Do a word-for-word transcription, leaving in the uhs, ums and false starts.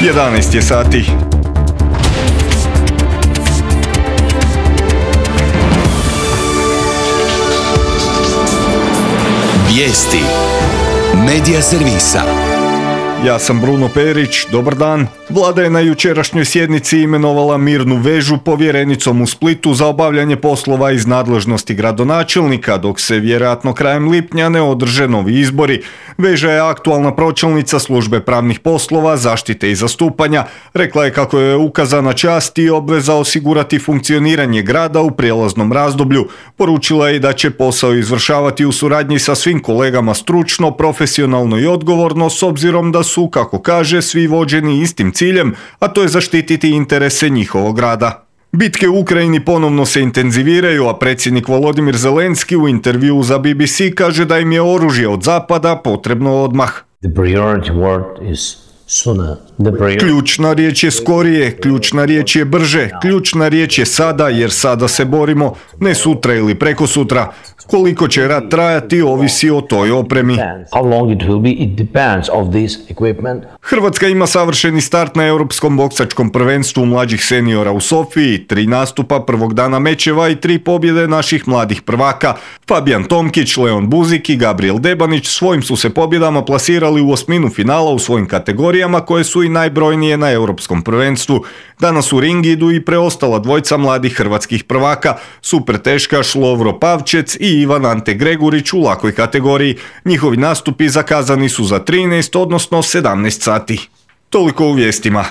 jedanaest je sati. Vijesti Medija servisa. Ja sam Bruno Perić, dobar dan. Vlada je na jučerašnjoj sjednici imenovala Mirnu Vežu povjerenicom u Splitu za obavljanje poslova iz nadležnosti gradonačelnika, dok se vjerojatno krajem lipnja ne održe novi izbori. Veža je aktualna pročelnica službe pravnih poslova, zaštite i zastupanja. Rekla je kako je ukazana čast i obveza osigurati funkcioniranje grada u prijelaznom razdoblju. Poručila je da će posao izvršavati u suradnji sa svim kolegama stručno, profesionalno i odgovorno, s obzirom da su, kako kaže, svi vođeni istim ciljem, a to je zaštititi interese njihovog grada. Bitke u Ukrajini ponovno se intenziviraju, a predsjednik Volodimir Zelenski u intervjuu za B B C kaže da im je oružje od zapada potrebno odmah. The priority word is sooner. The priority... Ključna riječ je skorije, ključna riječ je brže, ključna riječ je sada, jer sada se borimo, ne sutra ili preko sutra. Koliko će rat trajati ovisi o toj opremi. How long it will be, it depends of this equipment. Hrvatska ima savršeni start na europskom boksačkom prvenstvu mlađih seniora u Sofiji, tri nastupa prvog dana mečeva i tri pobjede naših mladih prvaka. Fabijan Tomkić, Leon Buzik i Gabriel Debanić svojim su se pobjedama plasirali u osminu finala u svojim kategorijama koje su i najbrojnije na europskom prvenstvu. Danas u ring idu i preostala dvojca mladih hrvatskih prvaka, super teškaš Lovro Pavčec i Ivan Ante Gregurić u lakoj kategoriji. Njihovi nastupi zakazani su za trinaest, odnosno sedamnaest sati. Toliko u vijestima.